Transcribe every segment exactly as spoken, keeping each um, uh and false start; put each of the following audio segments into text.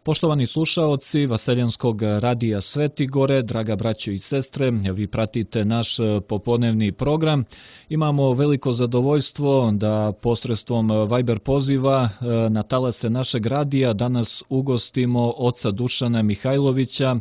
Poštovani slušaoci Vaseljanskog radija Svetigore, draga braćo i sestre, vi pratite naš popodnevni program. Imamo veliko zadovoljstvo da posredstvom Viber poziva na talase našeg radija danas ugostimo oca Dušana Mihajlovića,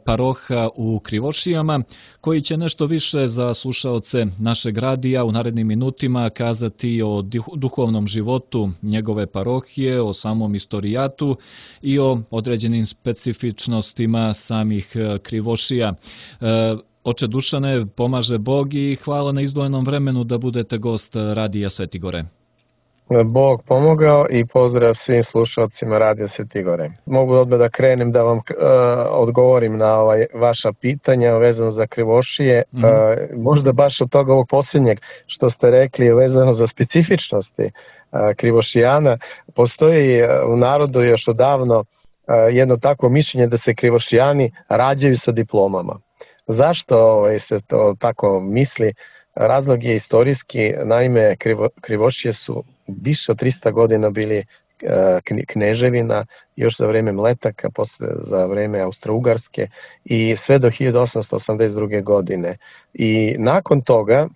paroha u Krivošijama, koji će nešto više za slušaoce našeg radija u narednim minutima kazati o duhovnom životu njegove parohije, o samom istorijatu i o određenim specifičnostima samih Krivošija. Oče Dušane, pomaže Bog i hvala na izdvojenom vremenu da budete gost radija Svetigore. Bog pomogao i pozdrav svim slušalcima radija Svetigore. Mogu odmah da krenem da vam uh, odgovorim na ovaj, vaša pitanja vezano za Krivošije. Mm. Uh, možda baš od toga ovog posljednjeg što ste rekli vezano za specifičnosti uh, Krivošijana. Postoji uh, u narodu još odavno uh, jedno takvo mišljenje da se Krivošijani rađaju sa diplomama. Zašto ovaj, se to tako misli? Razlog je istorijski, naime Krivo, Krivošije su više od trista godina bili uh, kneževina, još za vreme Mletaka, posle za vreme Austro-Ugarske i sve do hiljadu osamsto osamdeset druge. godine. I nakon toga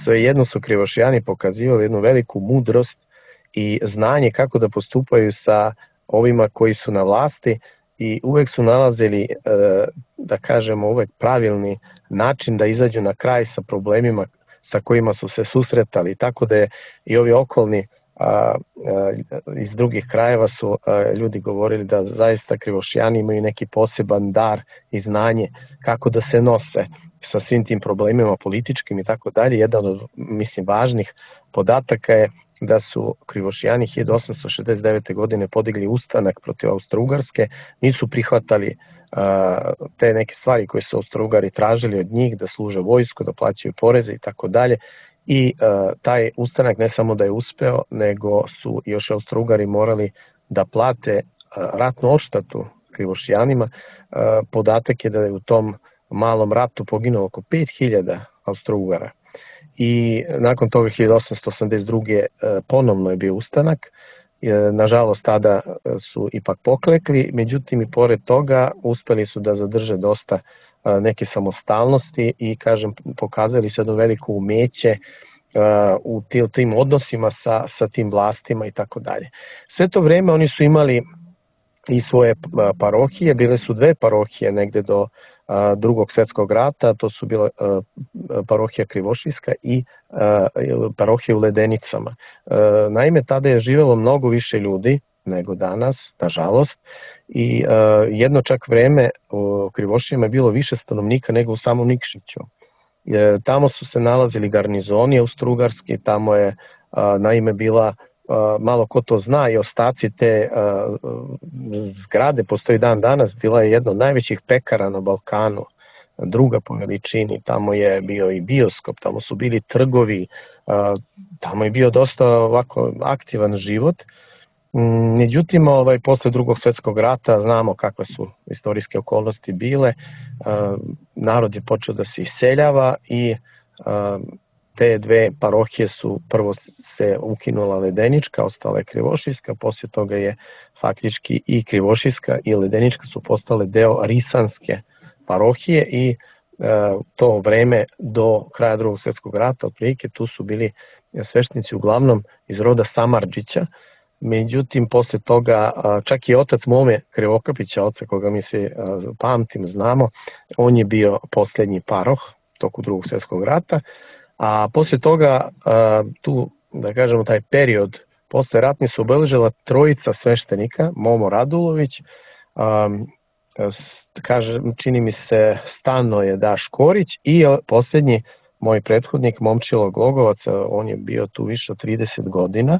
svejedno su Krivošijani pokazivali jednu veliku mudrost i znanje kako da postupaju sa ovima koji su na vlasti i uvek su nalazili, da kažemo, uvek pravilni način da izađu na kraj sa problemima sa kojima su se susretali. Tako da je i ovi okolni a, a, iz drugih krajeva su a, ljudi govorili da zaista Krivošijani imaju neki poseban dar i znanje kako da se nose sa svim tim problemima političkim i tako dalje. Jedan od, mislim, važnih podataka je da su Krivošijani hiljadu osamsto šezdeset devete. godine podigli ustanak protiv Austro-Ugarske, nisu prihvatali uh, te neke stvari koje su Austro-Ugari tražili od njih, da služe vojsku, da plaćaju poreze i tako dalje. I uh, taj ustanak ne samo da je uspeo, nego su još Austro-Ugari morali da plate uh, ratnu odštatu Krivošijanima. Uh, podatak je da je u tom malom ratu poginulo oko pet hiljada Austro-Ugara. I nakon toga hiljadu osamsto osamdeset druge. ponovno je bio ustanak. Nažalost, tada su ipak poklekli, međutim i pored toga uspeli su da zadrže dosta neke samostalnosti i, kažem, pokazali su jedno veliko umeće u tim odnosima sa, sa tim vlastima i tako dalje. Sve to vreme oni su imali i svoje parohije, bile su dve parohije negde do Drugog svjetskog rata, to su bila uh, parohija Krivošijska i uh, parohija u Ledenicama. Uh, naime, tada je živelo mnogo više ljudi nego danas, nažalost, i uh, jedno čak vreme u Krivošijama je bilo više stanovnika nego u samom Nikšiću. Uh, tamo su se nalazili garnizoni austrougarski, tamo je uh, naime bila, Uh, malo ko to zna, i ostaci te uh, zgrade postoji dan danas, bila je jedna od najvećih pekara na Balkanu, druga po veličini, tamo je bio i bioskop, tamo su bili trgovi, uh, tamo je bio dosta ovako aktivan život. Mm, međutim, ovaj, posle Drugog svjetskog rata znamo kakve su istorijske okolnosti bile, uh, narod je počeo da se iseljava i uh, te dve parohije su, prvo se ukinula Ledenička, ostala je Krivošijska, poslije toga je faktički i Krivošijska i Ledenička su postale deo Risanske parohije i e, to vreme do kraja Drugog svjetskog rata, otprilike, tu su bili sveštenici uglavnom iz roda Samardžića. Međutim, poslije toga, čak i otac Mome Krivokapića, oca koga mi se pamtim, znamo, on je bio posljednji paroh toku Drugog svjetskog rata. A poslije toga, tu, da kažemo, taj period posle ratni su obeležila trojica sveštenika, Momo Radulović, kaže, čini mi se Stanoje Daš Korić i posljednji moj prethodnik Momčilo Glogovac, on je bio tu više od trideset godina.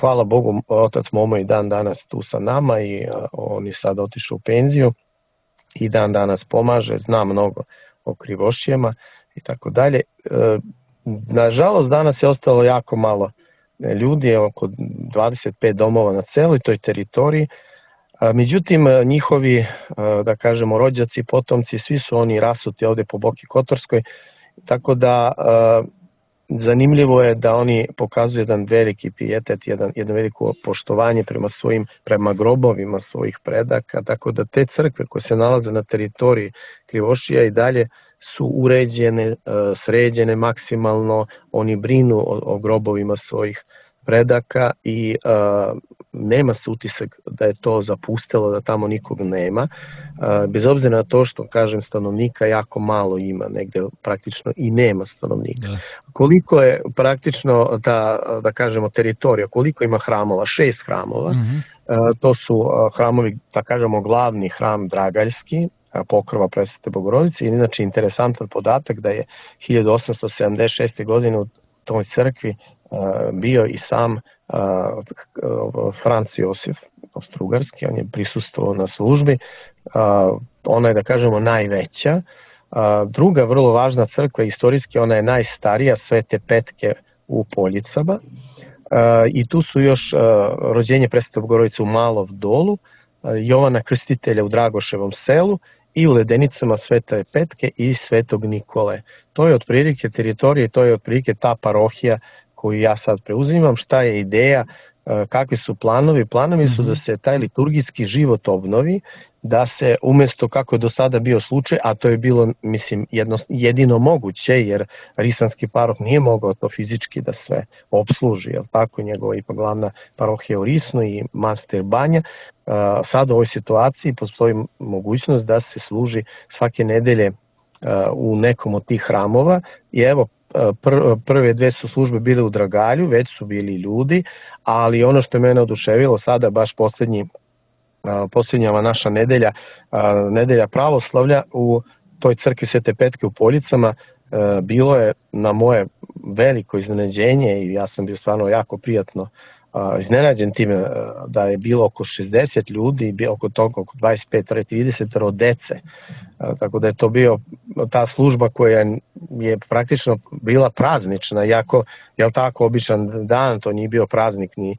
Hvala Bogu, otac Momo i dan danas tu sa nama i on je sad otišao u penziju i dan danas pomaže, zna mnogo o Krivošijama i tako dalje. Nažalost, danas je ostalo jako malo ljudi, oko dvadeset pet domova na celoj toj teritoriji. Međutim, njihovi, da kažemo, rođaci, potomci, svi su oni rasuti ovde po Boki Kotorskoj, tako da zanimljivo je da oni pokazuju jedan veliki pijetet, jedan, jedno veliko poštovanje prema svojim, prema grobovima svojih predaka, tako da te crkve koje se nalaze na teritoriji Krivošija i dalje su uređene, sređene maksimalno, oni brinu o, o grobovima svojih predaka i uh, nema se utisak da je to zapustilo, da tamo nikog nema. Uh, bez obzira na to što, kažem, stanovnika jako malo ima, negde praktično i nema stanovnika. Da. Koliko je praktično ta, da kažemo, teritorija, koliko ima hramova? Šest hramova. Mm-hmm. Uh, to su uh, hramovi, da kažemo, glavni hram Dragaljski, Pokrova Presvete Bogorodice. I inače interesantan podatak da je hiljadu osamsto sedamdeset šeste. godine u toj crkvi bio i sam Franc Josif Austrougarski, on je prisustvovao na službi. Ona je, da kažemo, najveća. Druga vrlo važna crkva istorijski, ona je najstarija, Svete Petke u Poljicama. I tu su još rođenje Presvete Bogorodice u Malov Dolu, Jovana Krstitelja u Dragoševom selu i u Ledenicama Svete Petke i Svetog Nikole. To je otprilike teritorije, to je otprilike ta parohija koju ja sad preuzimam. Šta je ideja, kakvi su planovi? Planovi su da se taj liturgijski život obnovi, da se umjesto kako je do sada bio slučaj, a to je bilo, mislim, jedno, jedino moguće, jer Risanski paroh nije mogao to fizički da sve obsluži, jel tako, njegova ipak glavna parohija u Risnu i manastir Banja. Sad u ovoj situaciji postoji mogućnost da se služi svake nedelje u nekom od tih hramova i evo, prve dve su službe bile u Dragalju, već su bili ljudi, ali ono što je mene oduševilo sada, baš posljednji, posljednjava naša nedelja, nedelja pravoslavlja u toj crkvi Svete Petke u Poljicama, bilo je na moje veliko iznenađenje i ja sam bio stvarno jako prijatno iznenađen time da je bilo oko šezdeset ljudi i bio oko toga oko dvadeset pet do trideset dece. Tako da je to bio ta služba koja je praktično bila praznična, iako je tako običan dan, to nije bio praznik ni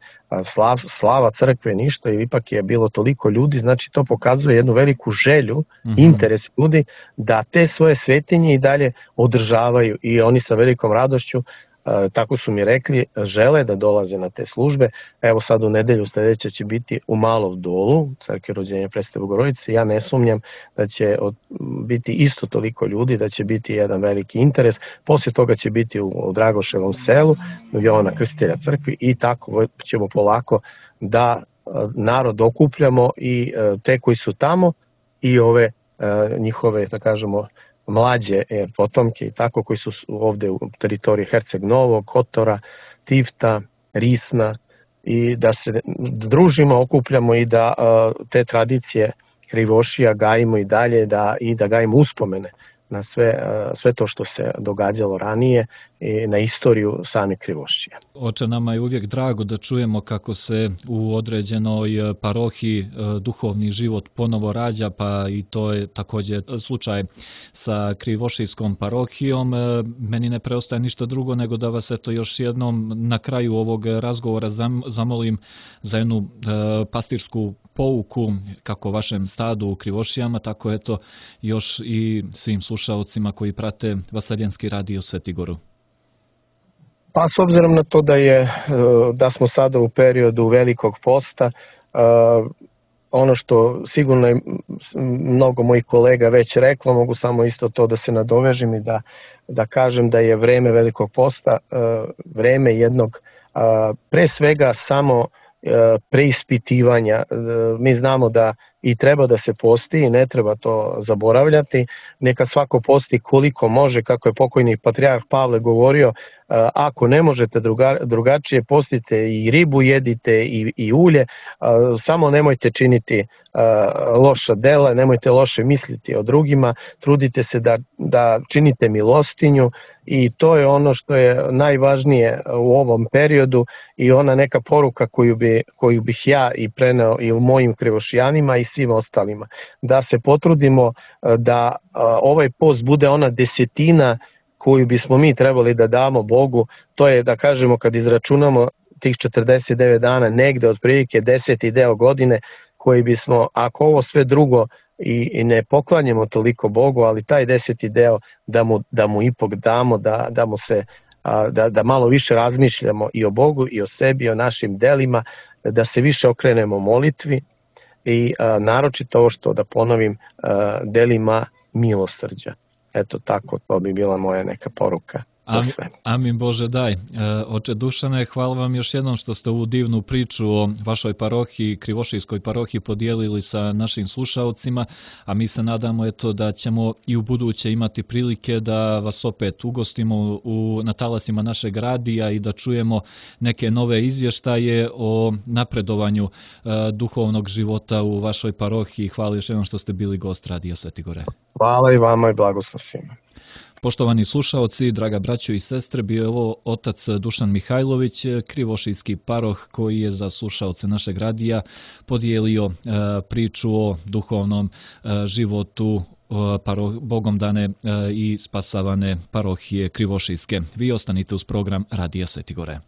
slav, slava crkve, ništa, i ipak je bilo toliko ljudi, znači to pokazuje jednu veliku želju, mm-hmm. interes ljudi da te svoje svetinje i dalje održavaju i oni sa velikom radošću, tako su mi rekli, žele da dolaze na te službe. Evo sad u nedelju sljedeće će biti u Malov Dolu, crkvi rođenja Presvete Bogorodice. Ja ne sumnjam da će od, biti isto toliko ljudi, da će biti jedan veliki interes. Poslije toga će biti u, u Dragoševom selu, u Jovana Krstitelja crkvi i tako ćemo polako da narod okupljamo i te koji su tamo i ove njihove, da kažemo, mlađe e, potomke i tako koji su ovdje u teritoriji Herceg Novog, Kotora, Tivta, Risna i da se družimo, okupljamo i da uh, te tradicije Krivošija gajimo i dalje da, i da gajimo uspomene na sve, uh, sve to što se događalo ranije i na istoriju same Krivošija. Oče, nama je uvijek drago da čujemo kako se u određenoj parohiji uh, duhovni život ponovo rađa, pa i to je također slučaj sa Krivošijskom parohijom. Meni ne preostaje ništa drugo nego da vas eto još jednom na kraju ovog razgovora zamolim za jednu e, pastirsku pouku kako vašem stadu u Krivošijama, tako eto još i svim slušaocima koji prate Vaseljenski radio Svetigoru. Pa s obzirom na to da je da smo sada u periodu Velikog posta, ono što sigurno je mnogo mojih kolega već reklo, mogu samo isto to da se nadovežem i da, da kažem da je vreme Velikog posta vreme jednog pre svega samo preispitivanja. Mi znamo da i treba da se posti i ne treba to zaboravljati. Neka svako posti koliko može, kako je pokojni patrijarh Pavle govorio, ako ne možete druga, drugačije, postite i ribu jedite i, i ulje, samo nemojte činiti loša dela, nemojte loše misliti o drugima, trudite se da, da činite milostinju i to je ono što je najvažnije u ovom periodu i ona neka poruka koju, bi, koju bih ja i preneo i u mojim Krivošijanima i svim ostalima. Da se potrudimo da ovaj post bude ona desetina koju bismo mi trebali da damo Bogu, to je da kažemo kad izračunamo tih četrdeset devet dana, negde otprilike deseti deo godine koji bismo, ako ovo sve drugo i, i ne poklanjamo toliko Bogu, ali taj deseti deo da mu, da mu ipak damo, da, da mu se da, da malo više razmišljamo i o Bogu i o sebi i o našim delima, da se više okrenemo molitvi i naročito ovo što da ponovim delima milosrđa. Eto tako, to bi bila moja neka poruka. Amin, amin Bože daj. E, oče Dušane, hvala vam još jednom što ste ovu divnu priču o vašoj parohiji, Krivošijskoj parohiji podijelili sa našim slušaocima, a mi se nadamo eto da ćemo i u buduće imati prilike da vas opet ugostimo u, na talasima našeg radija i da čujemo neke nove izvještaje o napredovanju e, duhovnog života u vašoj parohiji. Hvala još jednom što ste bili gost Radija Sveti Gore. Hvala i vama i blagoslov svima. Poštovani slušaoci, draga braćo i sestre, bio je ovo otac Dušan Mihajlović, krivošijski paroh koji je za slušaoce našeg radija podijelio e, priču o duhovnom e, životu e, paroh, Bogom dane e, i spasavane parohije Krivošijske. Vi ostanite uz program Radija Sveti Gore.